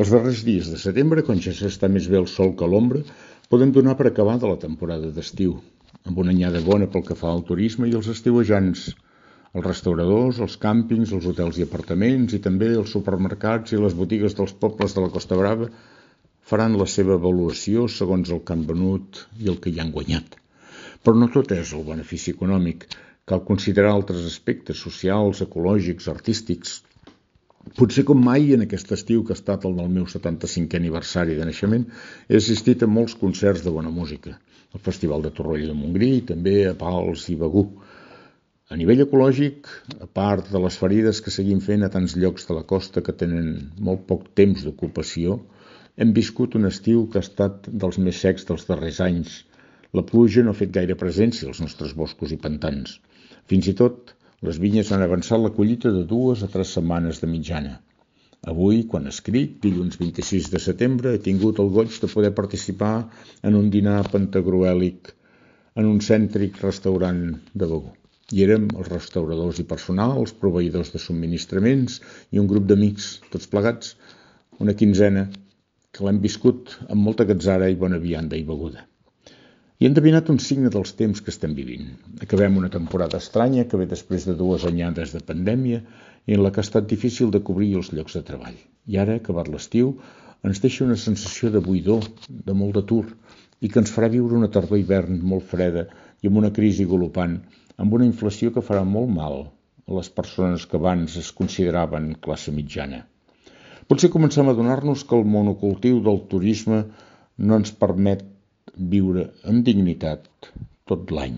Els darrers dies de setembre, quan ja s'està més bé el sol que l'ombra, podem donar per acabada la temporada d'estiu, amb una anyada bona pel que fa al turisme i els estiuejants, els restauradors, els càmpings, els hotels i apartaments i també els supermercats i les botigues dels pobles de la Costa Brava faran la seva avaluació segons el que han venut i el que hi han guanyat. Però no tot és el benefici econòmic. Cal considerar altres aspectes socials, ecològics, artístics. Potser com mai en aquest estiu que ha estat el del meu 75è aniversari de naixement, he assistit a molts concerts de bona música, al Festival de Torroella de Montgrí i també a Pals i Begur. A nivell ecològic, a part de les ferides que seguim fent a tants llocs de la costa que tenen molt poc temps d'ocupació, hem viscut un estiu que ha estat dels més secs dels darrers anys. La pluja no ha fet gaire presència als nostres boscos i pantans. Fins i tot, les vinyes han avançat la collita de 2 a 3 setmanes de mitjana. Avui, quan escric, dilluns 26 de setembre, he tingut el goig de poder participar en un dinar pantagruèlic en un cèntric restaurant de Begur. Hi érem els restauradors i personal, els proveïdors de subministraments i un grup d'amics, tots plegats, una quinzena, que l'hem viscut amb molta gatzara i bona vianda i beguda. I hem endevinat un signe dels temps que estem vivint. Acabem una temporada estranya que ve després de 2 anyades de pandèmia i en la que ha estat difícil de cobrir els llocs de treball. I ara, acabat l'estiu, ens deixa una sensació de buidor, de molt d'atur, i que ens farà viure una tardor-hivern molt freda i amb una crisi galopant, amb una inflació que farà molt mal a les persones que abans es consideraven classe mitjana. Potser comencem a adonar-nos que el monocultiu del turisme no ens permet viure amb dignitat tot l'any.